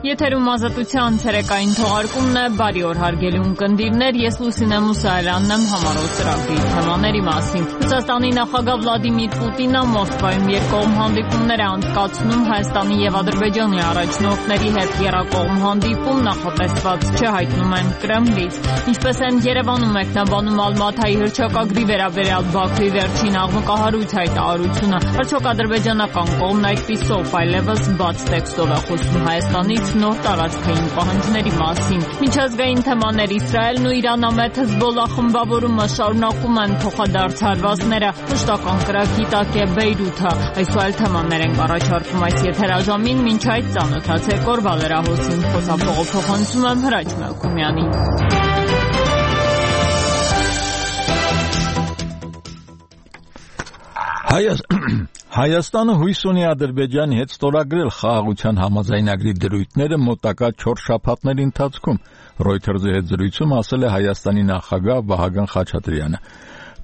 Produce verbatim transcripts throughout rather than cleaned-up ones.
Եթերում ազատության ցերեկային թողարկումն է, բարի օր հարգելի ունկնդիրներ, ես Լուսինե Մուսայելյանն եմ համառոտ ծրագրի թեմաների մասին։ Ռուսաստանի նախագահ Վլադիմիր Պուտինը Մոսկվայում երկկողմ հանդիպումներ է անցկացնում Հայաստանի եւ Ադրբեջանի առաջնորդների հետ եռակողմ հանդիպում նախատեսված չէ, հայտնում են Կրեմլից։ Ինչպես են Երևանում մեկնաբանում Ալմաթայի հռչակագրի վերաբերյալ Բաքվի վերջին աղմկահարույց հայտարարությունը, արդյոք ադրբեջանական կողմն այդպիսով այլևս բաց տեքստով է խոսում Հայաստանից նոր տարածքային պահանջների մասին։ Միջազգային թեմաներ Իսրայելն ու Իրանամետ Հեզբոլլահ խմբավորումը շարունակում են փոխադարձ հարվածները, մշտական կրակի տակ է Բեյրութը։ Այս ու այլ թեմաներ ենք առաջարկում այս եթերաժամին, մինչ այդ ծանոթացեք օրվա լրահոսին, խոսափողով փոխանցում եմ Հրաչ Մելքումյանին։ Հայաստանը հույս ունի Ադրբեջանի հետ ստորագրել խաղաղության համաձայնագրի դրույթները մոտակա չորս շաբաթների ընթացքում, Reuters-ի հետ զրույցում ասել է Հայաստանի նախագահ Վահագն Խաչատրյանը։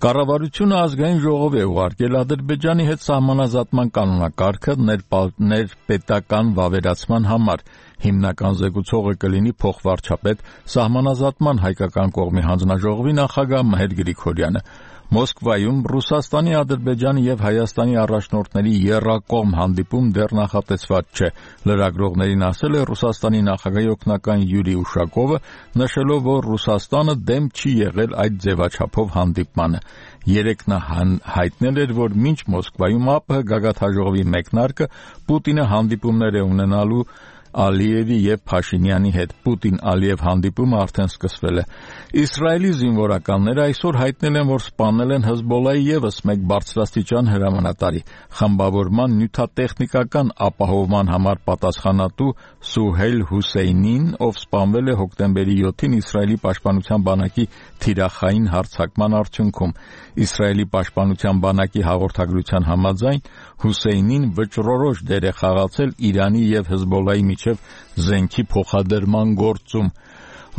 Կառավարությունը ազգային ժողով է ուղարկել Ադրբեջանի հետ սահմանազատման կանոնակարգը ներպետական վավերացման համար։ Հիմնական զեկուցողը կլինի փոխվարչապետ սահմանազատման հայկական կողմի հանձնաժողովի նախագահ Մհեր Գրիգորյանը։ Մոսկվայում Ռուսաստանի, Ադրբեջանի եւ Հայաստանի առաջնորդների եռակողմ հանդիպում դեռ նախատեսված չէ։ Լրագրողներին ասել է Ռուսաստանի նախագահի օգնական Յուրի Ուշակովը, նշելով, որ Ռուսաստանը դեմ չի եղել այդ ձևաչափով հանդիպմանը։ Երեկ նա հայտնել էր, որ մինչ Մոսկվայում ԱՊՀ գագաթնաժողովի մեկնարկը Պուտինը հանդիպումներ է ունենալու Ալիևի եւ Փաշինյանի հետ։ Պուտին-Ալիև հանդիպումը արդեն սկսվել է։ Իսրայելի զինվորականները այսօր հայտնել են, որ սպանել են Հեզբոլլահի եւս մեկ բարձրաստիճան հրամանատարի, խմբավորման նյութատեխնիկական ապահովման համար պատասխանատու Սուհեյլ Հուսեյնին, ով սպանվել է հոկտեմբերի յոթին Իսրայելի պաշտպանության բանակի թիրախային հարձակման արդյունքում։ Իսրայելի պաշտպանության բանակի հաղորդագրության համաձայն Հուսեյնին վճռորոշ դեր է խաղացել Իրանի եւ Հեզբոլլահի միջև զենքի փոխադրման գործում։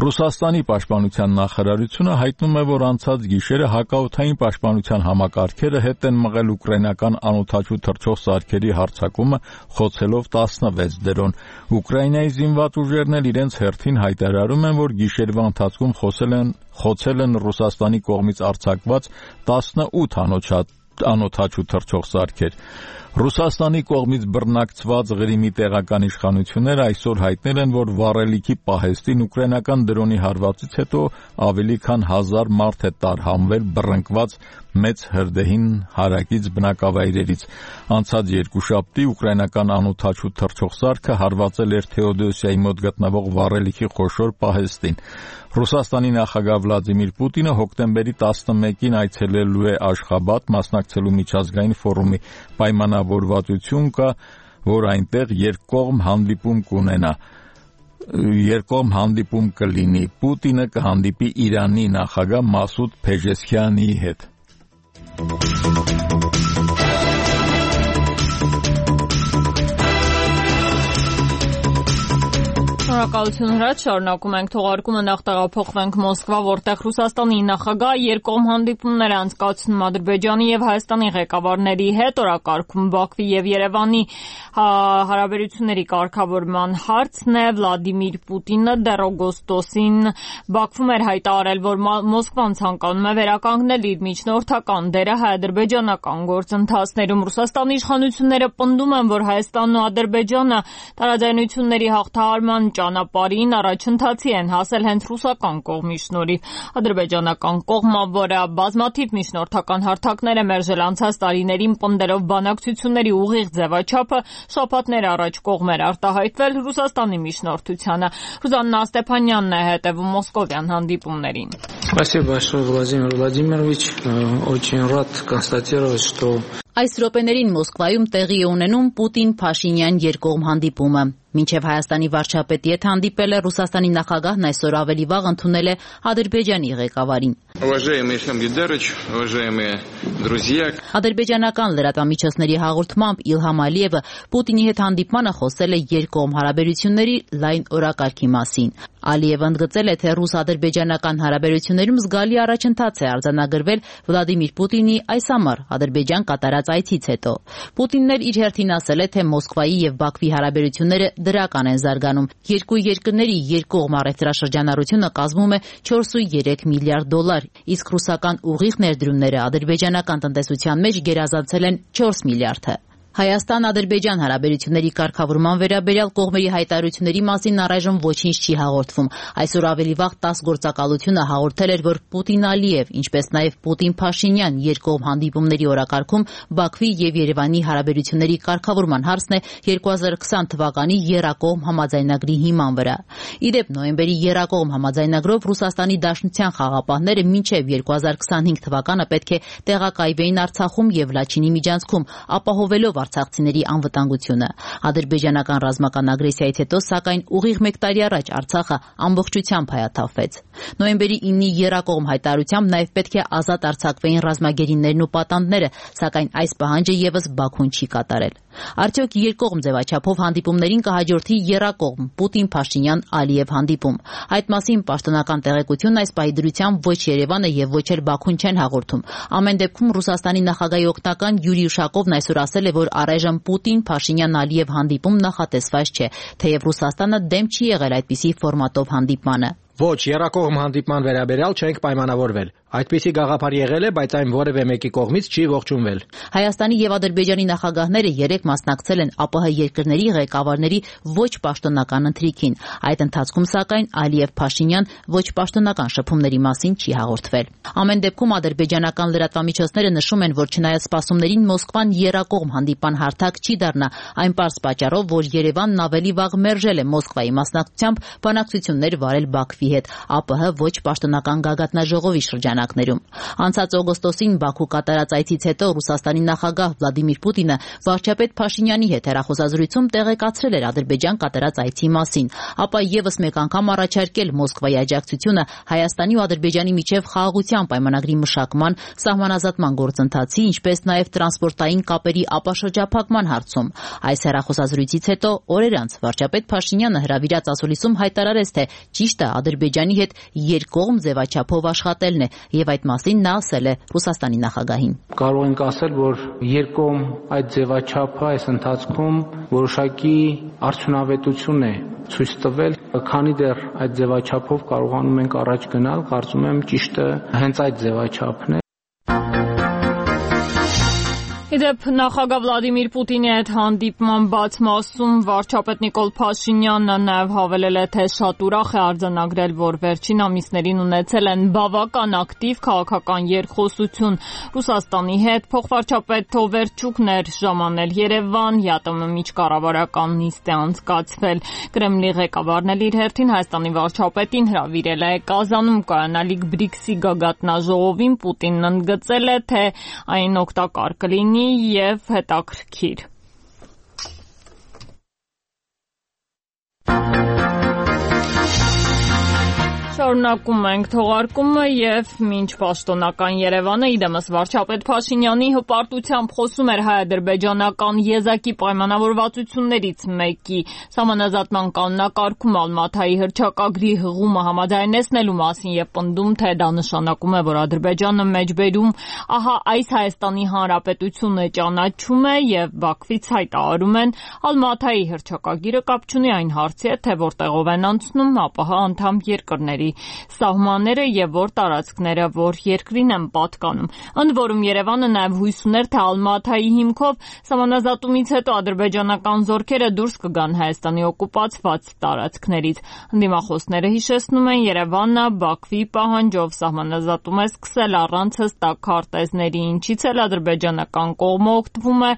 Ռուսաստանի պաշտպանության նախարարությունը հայտնում է, որ անցած գիշերը հակաօդային պաշտպանության համակարգերը հետ են մղել ուկրաինական անօդաչու թռչող սարքերի հարձակումը, խոցելով տասնվեց դրոն։ Ուկրաինայի զինված ուժերն էլ իրենց հերթին հայտարարում են, որ գիշերվա ընթացքում խոսել են խոցել են Ռուսաստանի կողմից արձակված տասնութ անօդաչու թռչող սարքեր։ Ռուսաստանի կողմից բռնակցված Ղրիմի տեղական իշխանությունները այսօր հայտնել են, որ վառելիքի պահեստին ուկրաինական դրոնի հարվածից հետո ավելի քան հազար մարդ է տարհանվել բռնկված մեծ հրդեհին հարակից բնակավայրերից։ Անցած երկուշաբթի ուկրաինական անօդաչու թռչող սարքը հարվածել էր Թեոդոսիայի մոտ գտնվող վառելիքի խոշոր պահեստին։ Ռուսաստանի նախագահ Վլադիմիր Պուտինը հոկտեմբերի տասնմեկին այցելելու է Աշխաբադ, մասնակցելու միջազգային ֆորումի։ Պայմանավորվածություն կա, որ այնտեղ երկկողմ հանդիպում կունենա։ Երկկողմ հանդիպում կլինի։ Պուտինը կհանդիպի Իրանի նախագահ Մասուդ Փեժեսքյանի հետ։ Շնորհակալություն Հրաչ, շարունակում ենք թողարկումը, նախ տեղափոխվենք Մոսկվա, որտեղ Ռուսաստանի նախագահ երկկողմ հանդիպումներ է անցկացնում Ադրբեջանի եւ Հայաստանի ղեկավարների հետ, օրակարգում Բաքվի եւ Երևանի հարաբերությունների կարգավորման հարցն է։ Վլադիմիր Պուտինը դեռ օգոստոսին Բաքվում էր հայտարարել, որ Մոսկվան ցանկանում է վերականգնել իր միջնորդական դերը հայ-ադրբեջանական գործընթացներում։ Ռուսաստանի իշխանությունները պնդում են, որ Հայաստանն ու Ադրբեջանը տարաձայնությունների հաղթահարման ճանապարհին առաջընթացի են հասել հենց ռուսական կողմի շնորհիվ։ Ադրբեջանական կողմը, որը բազմաթիվ միջնորդական հարթակներ է մերժել անցած տարիներին, պնդելով բանակցությունների ուղիղ ձևաչափը, շաբաթներ առաջ կողմ էր արտահայտվել Ռուսաստանի միջնորդությանը։ Ռուզաննա Ստեփանյանն է հետևում մոսկովյան հանդիպումներին։ Спасибо большое, Владимир Владимирович. Очень рад констатировать, что Այս րոպեներին Մոսկվայում տեղի է ունենում Պուտին-Փաշինյան երկկողմ հանդիպումը։ Մինչև Հայաստանի վարչապետի հետ հանդիպել է Ռուսաստանի նախագահն այսօր ավելի վաղ ընդունել է Ադրբեջանի ղեկավարին։ Уважаемый Ильхам Гейдарович, уважаемые друзья. Ադրբեջանական լրատվամիջոցների հաղորդմամբ Իլհամ Ալիևը Պուտինի հետ հանդիպմանը խոսել է երկկողմ հարաբերությունների լայն օրակարգի մասին։ Ալիևը ընդգծել է, թե ռուս-ադրբեջանական հարաբերություններում զգալի առաջընթաց է արձանագրվել Վլադիմիր Պուտինի այս ամառ Ադրբեջան կատարած այցից հետո։ Պուտինն էլ իր հերթին ասել է, թե Մոսկվայի եւ Բաքվի հարաբերությունները դրական են զարգանում։ Երկու երկրների երկկողմ առևտրաշրջանառությունը կազմում է չորսուերեք միլիարդ դոլար, իսկ ռուսական ուղիղ ներդրումները ադրբեջանական տնտեսության մեջ գերազանցել են չորս միլիարդը։ Հայաստան-Ադրբեջան հարաբերությունների կարգավորման վերաբերյալ կողմերի հայտարարությունների մասին առայժմ ոչինչ չի հաղորդվում։ Այսօր ավելի վաղ տաս գործակալությունը հաղորդել էր, որ Պուտին-Ալիև, ինչպես նաև Պուտին-Փաշինյան երկկողմ հանդիպումների օրակարգում Բաքվի եւ Երևանի հարաբերությունների կարգավորման հարցն է երկու հազար քսան թվականի եռակողմ համաձայնագրի հիման վրա։ Ի դեպ, նոյեմբերի եռակողմ համաձայնագրով Ռուսաստանի Դաշնության խաղապահները մինչև երկու հազար քսանհինգ թվականը պետք է տեղակայվեին Արցախում եւ Լաչինի միջանցքում, ապահովելով արցախցիների անվտանգությունը։ Ադրբեջանական ռազմական ագրեսիայից հետո, սակայն, ուղիղ մեկ տարի առաջ Արցախը ամբողջությամբ հայաթափվեց։ Նոյեմբերի իննի եռակողմ հայտարարությամբ նաև պետք է ազատ արձակվեին ռազմագերիներն ու պատանդները, սակայն այս պահանջը եւս Բաքուն չի կատարել։ Արդյոք երկկողմ ձևաչափով հանդիպումներին կհաջորդի եռակողմ Պուտին-Փաշինյան-Ալիև հանդիպում։ Այդ մասին պաշտոնական տեղեկություն այս պահի դրությամբ ոչ Երևանը եւ ոչ էլ Բաքուն չեն հաղորդում։ Ամեն դեպքում Ռուսաստանի նախագահի օգնական Յուրի Ուշակովն այսօր ասել է, որ առայժմ Պուտին-Փաշինյան-Ալիև հանդիպում նախատեսված չէ, թեև Ռուսաստանը դեմ չի եղել այդպիսի ֆորմատով հանդիպմանը։ Ոչ, եռակողմ հանդիպման վերաբերյալ չենք պայմանավորվել։ Այդպիսի գաղափար եղել է, բայց այն որևէ մեկի կողմից չի ողջունվել։ Հայաստանի եւ Ադրբեջանի նախագահները երեք մասնակցել են ԱՊՀ երկրների ղեկավարների ոչ պաշտոնական ընթրիքին։ Այդ ընթացքում, սակայն, Ալիև-Փաշինյան ոչ պաշտոնական շփումների մասին չի հաղորդվել։ Ամեն դեպքում ադրբեջանական լրատվամիջոցները նշում են, որ չնայած սպասումներին Մոսկվան եռակողմ հանդիպան հարթակ չի դառնա, այն պարզ պատճառով, որ Երևանն ավելի վաղ մերժել է Մոսկվայի մասնակցությամբ բանակցություններ վարել Բաքվի հետ ԱՊՀ ոչ պաշտոնական գագաթնաժողովի շրջանակներում։ Անցած օգոստոսին Բաքու կատարած այցից հետո Ռուսաստանի նախագահ Վլադիմիր Պուտինը վարչապետ Փաշինյանի հետ հեռախոսազրույցում տեղեկացրել էր Ադրբեջան կատարած այցի մասին, ապա եւս մեկ անգամ առաջարկել Մոսկվայի աջակցությունը Հայաստանի ու Ադրբեջանի միջև խաղաղության պայմանագրի մշակման, սահմանազատման գործընթացի, ինչպես նաև տրանսպորտային կապերի ապաշրջափակման հարցում։ Այս հեռախոսազրույցից հետո օրեր անց վարչապետ Փաշինյանը հրավիրած ասուլիսում հայտարարեց, թե ճիշտը Ադրբեջանի հետ երկկողմ ձևաչափով աշխատելն է, եւ այդ մասին նա ասել է Ռուսաստանի նախագահին։ Կարող ենք ասել, որ երկկողմ այդ ձևաչափը այս ընթացքում որոշակի արդյունավետություն է ցույց տվել, քանի դեռ այդ ձևաչափով կարողանում ենք առաջ գնալ, կարծում եմ ճիշտը հենց այդ ձևաչափն է։ Իդեպ նախագահ Վլադիմիր Պուտինի հետ հանդիպման բաց մասում վարչապետ Նիկոլ Փաշինյանը նաև հավելել է, թե շատ ուրախ է արձանագրել, որ վերջին ամիսներին ունեցել են բավական ակտիվ քաղաքական երկխոսություն Ռուսաստանի հետ։ Փոխվարչապետ Թովերչուկն էր ժամանել Երևան, ԵԱՏՄ միջկառավարական նիստ է անցկացվել։ Կրեմլի ղեկավարն էլ իր հերթին Հայաստանի վարչապետին հրավիրել է Կազանում կայանալիք բրիքսի գագաթնաժողովին։ Պուտինն ընդգծել է, թե այն օգտակար կլինի եւ հետաքրքիր։ Շարունակում ենք թողարկումը եւ մինչ պաշտոնական Երևանը իդեմս վարչապետ Փաշինյանի հպարտությամբ խոսում էր հայ-ադրբեջանական եզակի պայմանավորվածություններից մեկի սահմանազատման կանոնակարգում Ալմաթայի հռչակագրի հղումը համաձայնեցնելու մասին եւ պնդում, թե դա նշանակում է, որ Ադրբեջանը մեջբերում ահա այս Հայաստանի Հանրապետությունը ճանաչում է եւ Բաքվից հայտարարում են Ալմաթայի հռչակագիրը կապ չունի այն հարցի հետ, թե որտեղով են անցնում ԱՊՀ անդամ երկրների սահմանները եւ որ տարածքները որ երկրին են պատկանում։ Ընդ որում Երևանը նաեւ հույս ուներ, թե Ալմաթայի հիմքով սահմանազատումից հետո ադրբեջանական զորքերը դուրս կգան Հայաստանի օկուպացված տարածքներից։ Ընդդիմախոսները հիշեցնում են, Երևանը Բաքվի պահանջով սահմանազատում է սկսել առանց հստակ քարտեզների, ինչից էլ ադրբեջանական կողմը օգտվում է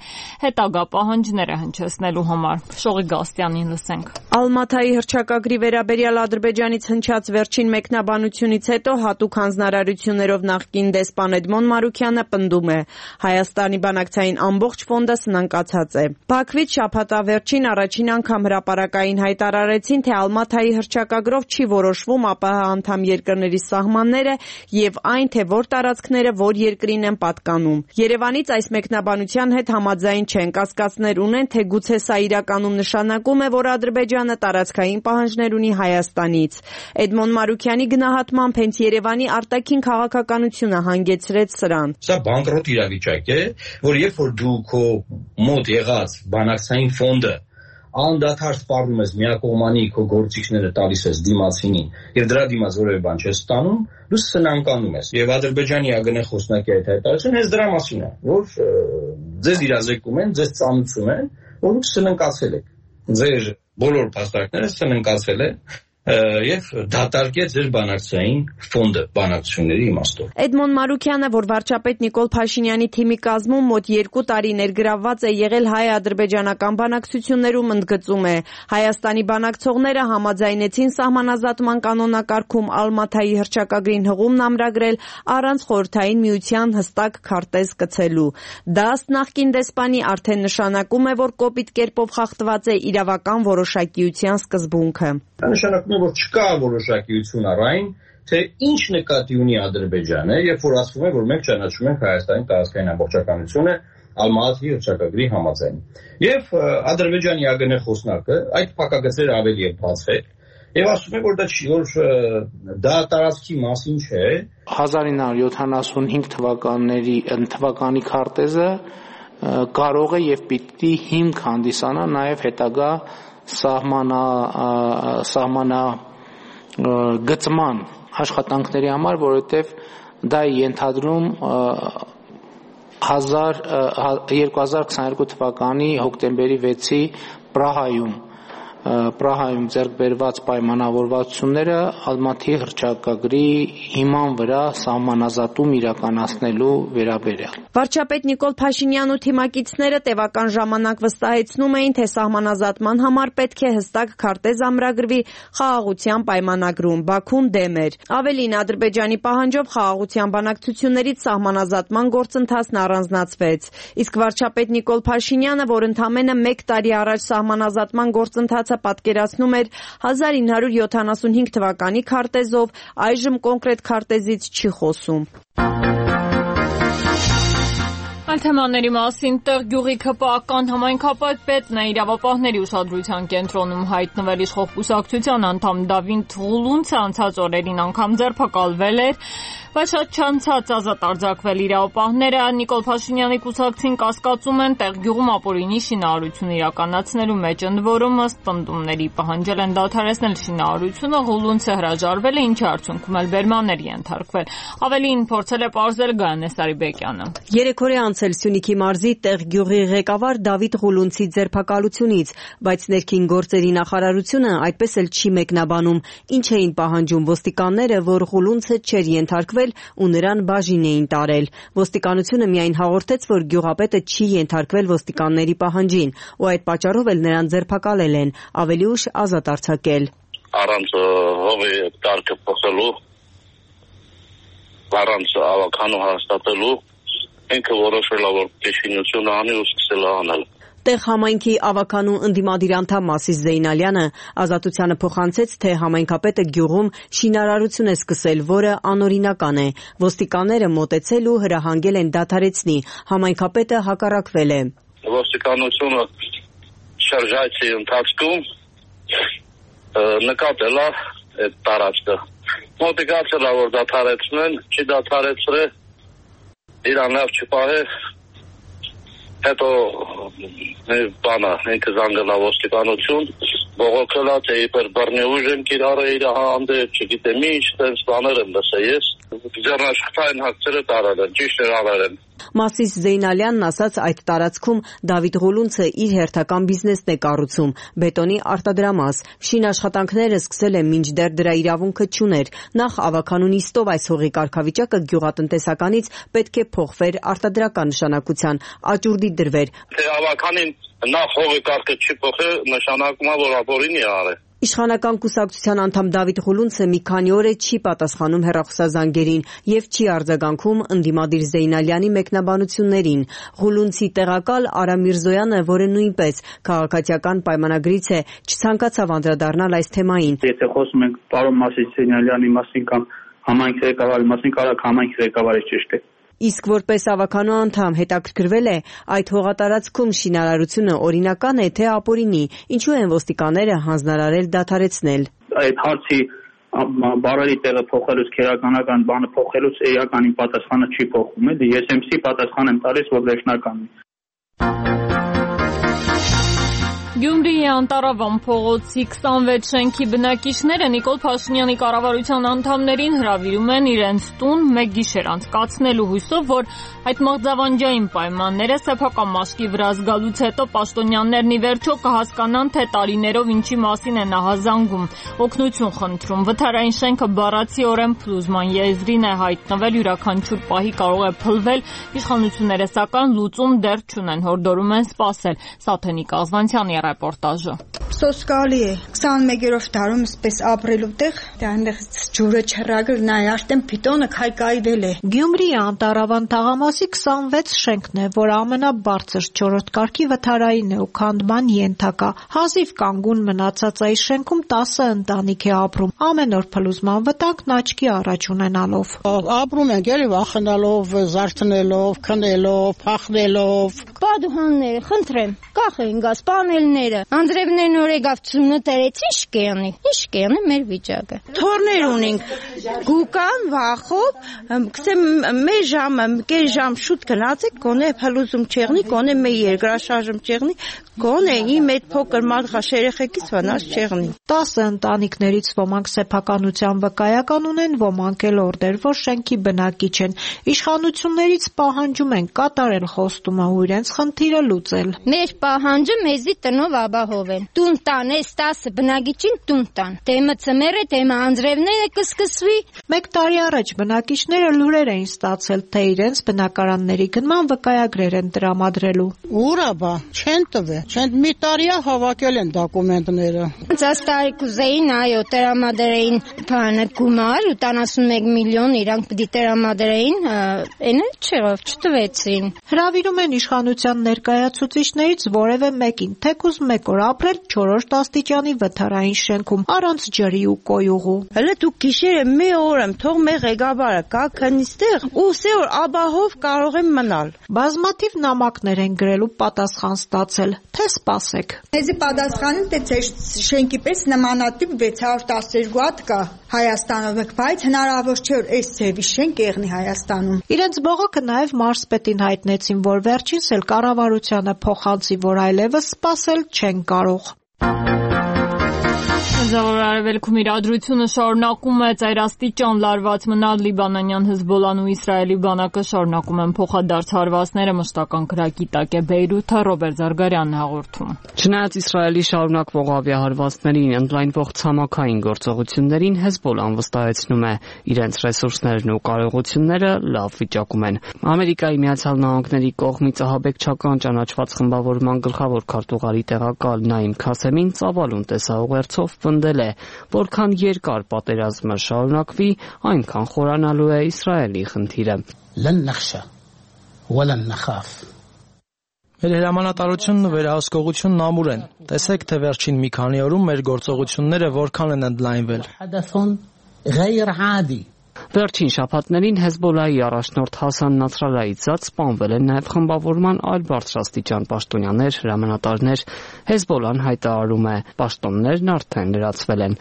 հետագա պահանջները հնչեցնելու համար։ Շողի Գաստյանին լսենք։ Ալմաթայի հռչակագրի վերաբերյալ Ադրբեջանից հնչած վերջին վերջին մեկնաբանությունից հետո հատուկ հանձնարարություններով նախկին դեսպան Էդմոն Մարուքյանը պնդում է. Հայաստանի բանակցային ամբողջ ֆոնդը սնանկացած է։ Բաքվից շաբաթավերջին առաջին անգամ հրապարակային հայտարարեցին, թե Ալմաթայի հռչակագրով չի որոշվում ԱՊՀ անդամ երկրների սահմանները եւ այն, թե որ տարածքները որ երկրին են պատկանում։ Երևանից այս մեկնաբանության հետ համաձայն չեն, կասկածներ ունեն, թե գուցե սա իրականում նշանակում է, որ Ադրբեջանը տարածքային պահանջներ ունի Հայաստանից։ Էդմոն Մարուքյանի գնահատմամբ հենց Երևանի արտաքին քաղաքականությունը հանգեցրեց սրան։ Սա բանկրոտ իրավիճակ է, որ երբ որ դու քո մոտ եղած բանակցային ֆոնդը անդադար սպառնում ես միակողմանի քո գործիքները տալիս ես դիմացինին եւ դրա դիմաց որևէ բան չես ստանում, դու սնանկանում ես։ Եվ Ադրբեջանի ԱԳՆ խոսնակի այդ հայտարարությունը հենց դրա մասին է, որ ձեզ իրազեկում են, ձեզ ծանուցում են, որ դուք սնանկացել եք։ Ձեր բոլոր փաստարկները սնանկացել են եւ դատարկեց ձեր բանակցային ֆոնդը բանակցությունների իմաստով։ Էդմոն Մարուքյանը, որ վարչապետ Նիկոլ Փաշինյանի թիմի կազմում մոտ երկու տարի ներգրավված է եղել հայ-ադրբեջանական բանակցություններում, ընդգծում է. Հայաստանի բանակցողները համաձայնեցին սահմանազատման կանոնակարգում Ալմաթայի հռչակագրին հղումն ամրագրել առանց Խորհրդային Միության հստակ քարտեզ կցելու։ Դա ըստ նախկին դեսպանի արդեն նշանակում է, որ կոպիտ կերպով խախտված է իրավական որոշակիության սկզբունքը։ Նշանակում է, որ չկա որոշակիություն առայն, թե ինչ նկատի ունի Ադրբեջանը, երբ որ ասվում է, որ մենք ճանաչում ենք Հայաստանի տարածքային ամբողջականությունը Ալմաթի հռչակագրի համաձայն։ Եվ Ադրբեջանի ԱԳՆ խոսնակը այդ փակագծերը ավելի է բացել եւ ասում է, որ դա չի, որ դա տարածքի մասին չէ։ հազար ինը հարյուր յոթանասունհինգ թվականների թվականի քարտեզը կարող է եւ պիտի հիմք հանդիսանա նաեւ հետագա սահմանա սահմանա գծման աշխատանքների համար, որովհետև դա է ենթադրում երկու հազար քսաներկու թվականի հոկտեմբերի վեցի Պրահայում Պրահայում ձեռք բերված պայմանավորվածությունները Ալմաթի հռչակագրի հիման վրա սահմանազատում իրականացնելու վերաբերյալ։ Վարչապետ Նիկոլ Փաշինյանն ու թիմակիցները տևական ժամանակ վստահեցնում էին, թե սահմանազատման համար պետք է հստակ քարտեզ ամրագրվի խաղաղության պայմանագրում։ Բաքուն դեմ էր։ Ավելին, Ադրբեջանի պահանջով խաղաղության բանակցություններից սահմանազատման գործընթացն առանձնացվեց։ Իսկ վարչապետ Նիկոլ Փաշինյանը, որ ընդամենը մեկ տարի առաջ սահմանազատման գործընթացը պատկերացնում էր հազար ինը հարյուր յոթանասունհինգ թվականի քարտեզով, այժմ կոնկրետ քարտեզից չի խոսում։ Այլ թեմաների մասին տեղ գյուղի ՔՊԱ-ական համայնքապետն է իրավապահների ուշադրության կենտրոնում հայտնվել իշխող կուսակցության անդամ Դավիթ Ղուլունցը անցած օրերին անգամ ձերբակալվել էր, բայց շատ չանցած ազատ արձակվել իրավապահները Նիկոլ Փաշինյանի կուսակցին կասկածում են տեղ գյուղում ապօրինի շինարարություն իրականացնելու մեջ, ընդ որում ըստ պնդումների պահանջել են դադարեցնել շինարարությունը, Ղուլունցը հրաժարվել է, ինչի արդյունքում էլ բերմաններ ենթարկվել։ Ավելին փորձել է պարզել Գայանե Սարիբեկյանը։ Երեք օր է անցել Սյունիքի մարզի տեղ գյուղի ղեկավար Դավիթ Ղուլունցի ձերբակալությունից, բայց ներքին գործերի նախարարությունը այդպես էլ չի մեկնաբանում, ինչ էին պահանջում ոստիկանները, որ Ղուլունցը չէր ենթարկվել ու նրան բաժին էին տարել։ Ոստիկանությունը միայն հաղորդեց, որ գյուղապետը չի ենթարկվել ոստիկանների պահանջին ու այդ պատճառով էլ նրան ձերբակալել են, ավելի ուշ ազատ արձակել։ Առանց հողի կարգը փոխելու, առանց ավականու հաստատելու, ինքը որոշել է, որ շինություն անի ու սկսել է անել։ Տեղ համայնքի ավականու ընդդիմադիր անդամ Մասիս Զեյնալյանը Ազատությանը փոխանցեց, թե համայնքապետը գյուղում շինարարություն է սկսել, որը անօրինական է։ Ոստիկանները մոտեցել ու հրահանգել են դադարեցնի։ Համայնքապետը հակառակվել է։ Ոստիկանությունը շրջայցի ընթացքում նկատել է այդ տարածքը։ Մոտիկացել է, որ դադարեցնեն, չի դադարեցրել, իրան լավ չպահե, հետո բանը, ինքը զանգելա ոստիկանություն, բողոքել է, թե իբր բռնի ուժ են կիրառը իր հանդեպ, չգիտեմ ինչ, տենց բաներ եմ լսել ես, ձեռնաշխատային հագցերը տարել են, ճիշտ էր արել են։ Մասիս Զեյնալյանն ասաց, այդ տարածքում Դավիթ Ղուլունցը իր հերթական բիզնեսն է կառուցում, բետոնի արտադրամաս։ Շինաշխատանքները սկսել է, մինչդեռ դրա իրավունքը չուներ։ Նախ ավականու նիստով այս հողի կարգավիճակը գյուղատնտեսականից պետք է փոխվեր արտադրական նշանակության, աճուրդի դրվեր։ Թե ավականին նախ հողի կարգը չի փոխել, նշանակում է, որ ապօրինի է արել։ Իշխանական կուսակցության անդամ Դավիթ Ղուլունցը մի քանի օր է չի պատասխանում հեռախոսազանգերին եւ չի արձագանքում ընդդիմադիր Զեյնալյանի մեկնաբանություններին։ Ղուլունցի տեղակալ Արա Միրզոյանը, որը նույնպես քաղաքացիական պայմանագրից է, չցանկացավ անդրադառնալ այս թեմային։ Եթե խոսում ենք պարոն Մասի Զեյնալյանի մասին կամ համայնքի ղեկավարի մասին, կարող համայնքի ղեկավարը ճիշտ է։ Իսկ որպես ավականու անդամ հետաքրքրվել է այդ հողատարածքում շինարարությունը օրինական է թե ապօրինի, ինչու են ոստիկանները հանձնարարել դադարեցնել։ Այդ հարցի բարերի տեղը փոխելուց, քերականական բանը փոխելուց էականին պատասխանը չի փոխվում է, ես էմսի պատասխան եմ տալիս, որ վերջնականն է։ Գյումրիի Անտարավան փողոցի քսանվեց շենքի բնակիչները Նիկոլ Փաշինյանի կառավարության անդամներին հրավիրում են իրենց տուն մեկ գիշեր անցկացնելու հույսով, որ այդ մղձավանջային պայմանները սեփական մաշկի վրա զգալուց հետո պաշտոնյաներն ի վերջո կհասկանան, թե տարիներով ինչի մասին է նահազանգում, օգնություն խնդրում։ Վթարային շենքը բառացիորեն փլուզման եզրին է հայտնվել, յուրաքանչյուր պահի կարող է փլվել, իշխանությունները սակայն լուծում դեռ չունեն, հորդորում են սպասել։ Սաթենիկ Ազվանցյանի ռեպորտաժը։ Սոսկալի է քսանմեկերորդ դարում սպես ապրելու տեղ, այնտեղ ջուրը չռագել, նայ արդեն պիտոնը քայքայվել է։ Գյումրիի Անտարավան թաղամասի քսանվեց շենքն է, որ ամենաբարձր չորրորդ կարգի վթարային է ու քանդման ենթակա։ Հազիվ կանգուն մնացած այս շենքում տասը ընտանիք է ապրում, ամեն օր փլուզման վտանգն աչքի առաջ ունենալով։ Ապրում ենք էլի վախենալով, զարթնելով, քնելով, փախնելով։ Պատուհանները, խնդրեմ, կախեն գազ պանելները, անձրևներն օրեգավ ծնոտերից ինչ կեղնի, ինչ կեղնի մեր վիճակը։ Թորներ ունենք, գուկան, վախով, կսեմ մեր ժամը, կեր ժամ շուտ գնացեք, կոնե փլուզում չեղնի, կոնե մեր երկրաշարժում չեղնի, կոնե իմ այդ փոքր մարդղաշ երեխեքից վնաս չեղնի։ Տասը ընտանիքներից ոմանք սեփականության վկայական ունեն, ոմանք էլ օրդեր, որ շենքի բնակիչ են։ Իշխանություններից պահանջում են կատարել խոստումը ու իրենց խնդիրը լուծել։ Մեր պահանջը մեզի տնով ապահովել։ Տուն տան, այս տասը բնակիչին տուն տան։ Դեմը ծմերը, դեմը անձրևները կսկսվի։ Մեկ տարի առաջ բնակիչները լուրեր էին ստացել, թե իրենց բնակարանների գնման վկայագրեր են տրամադրելու։ Ուրա բա, չեն տվել, չեն մի տարիա հավաքել են դոկումենտները։ Ձեզ տարի կուզեին, այո, տրամադրեին բանը գումար, ութանասունմեկ միլիոն իրանք պիտի տրամադրեին, այն էլ չեղավ, չտվեցին։ Հրավիրում են իշխանության ներկայացուցիչներից որևէ մեկին, թեկուզ մեկ օր ապրել չորրորդ աստիճանի վթարային շենքում, առանց ջրի ու կոյուղու։ Հələ դուք գիշերը մի օր եմ, թող մեր ղեկավարը կա քնիստեղ, ու սե օր ապահով կարող եմ մնալ։ Բազմաթիվ նամակներ են գրել ու պատասխան ստացել, թե սպասեք։ Մեզի պատասխանում թե ձեր շենքի պես նմանատիպ վեց հարյուր տասներկու հատ կա Հայաստանում, բայց հնարավոր չէ որ այս ձևի շենք եղնի Հայաստանում։ Իրենց բողոքը նաև մարզպետին հայտնեցին, որ վերջինս էլ կառավարությանը փոխանցի, որ այլևս սպասել չեն կարող։ Զորավար արևելքում իրադրությունը շարունակում է ծայրաստիճան լարված մնալ Լիբանանյան Հեզբոլլան ու Իսրայելի բանակը շարունակում են փոխադարձ հարվածները մշտական կրակի տակ է Բեյրութը Ռոբերտ Զարգարյանն հաղորդում։ Չնայած Իսրայելի շարունակվող ավիահարվածներին, ընդլայնվող ցամաքային գործողություններին Հեզբոլլան վստահեցնում է իրենց ռեսուրսներն ու կարողությունները լավ վիճակում են։ Ամերիկայի Միացյալ Նահանգների կողմից ահաբեկչական ճանաչված խմբավորման գլխավոր քարտուղարի տեղակալ Նաիմ Քասեմին ծավալուն տեսաուղերձով պնդել է, որքան երկար պատերազմը շարունակվի, այնքան խորանալու է Իսրայելի խնդիրը։ Մեր հրամանատարությունն ու վերահսկողությունն ամուր են։ Տեսեք, թե վերջին մի քանի օրում մեր գործողությունները որքան են ընդլայնվել։ Վերջին շաբաթներին Հեզբոլլայի առաջնորդ Հասան Նասրալլահից զատ սպանվել են նաև խմբավորման այլ բարձրաստիճան պաշտոնյաներ, հրամանատարներ։ Հեզբոլլան հայտարարում է, պաշտոններն արդեն լրացվել են։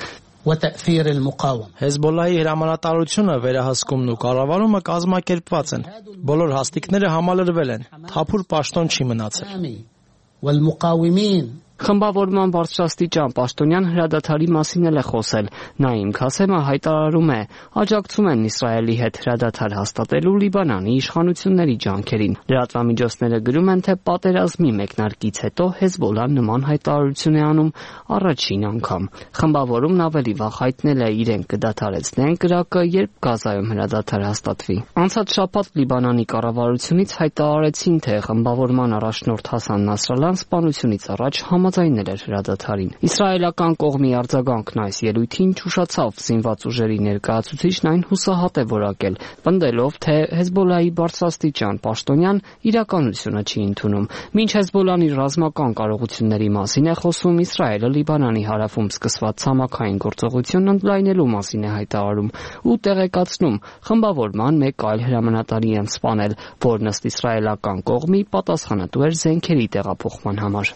Հեզբոլլայի հրամանատարությունը, վերահսկումն ու կառավարումը կազմակերպված են։ Բոլոր հաստիկները համալրվել են։ Թափուր պաշտոն չի մնացել։ Խմբավորման բարձրաստիճան պաշտոնյան հրադադարի մասին էլ է խոսել։ Նաիմ Քասեմը հայտարարում է, աջակցում են Իսրայելի հետ հրադադար հաստատելու Լիբանանի իշխանությունների ջանքերին։ Լրատվամիջոցները գրում են, թե պատերազմի մեկնարկից հետո Հեզբոլլան նման հայտարարություն է անում առաջին անգամ։ Խմբավորումն ավելի վաղ հայտնել է իրենք կդադարեցնեն կրակը, երբ Գազայում հրադադար հաստատվի։ Անցած շաբաթ Լիբանանի կառավարությունից հայտարարեցին, թե խմբավորման առաջնորդ Հասան Նասրալլահն սպանությունից առաջ համաձայնել էր հրադադարին։ Իսրայելական կողմի արձագանքն այս ելույթին չուշացավ, զինված ուժերի ներկայացուցիչն այն հուսահատ է որակել, պնդելով, թե Հեզբոլլահի բարձրաստիճան պաշտոնյան իրականությունը չի ընդունում։ Մինչ Հեզբոլլահն իր ռազմական կարողությունների մասին է խոսում, Իսրայելը Լիբանանի հարավում սկսված ցամաքային գործողությունն ընդլայնելու մասին է հայտարարում ու տեղեկացնում խմբավորման մեկ այլ հրամանատարի են սպանել, որն ըստ իսրայելական կողմի պատասխանատու էր զենքերի տեղափոխման համար։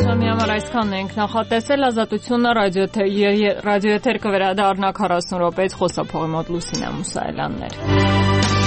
Ժամի համար այսքանն ենք նախատեսել, Ազատությունը ռադիոեթեր կվերադառնա քառասուն րոպեից, խոսափողի մոտ Լուսինա Մուսայելյանն էր։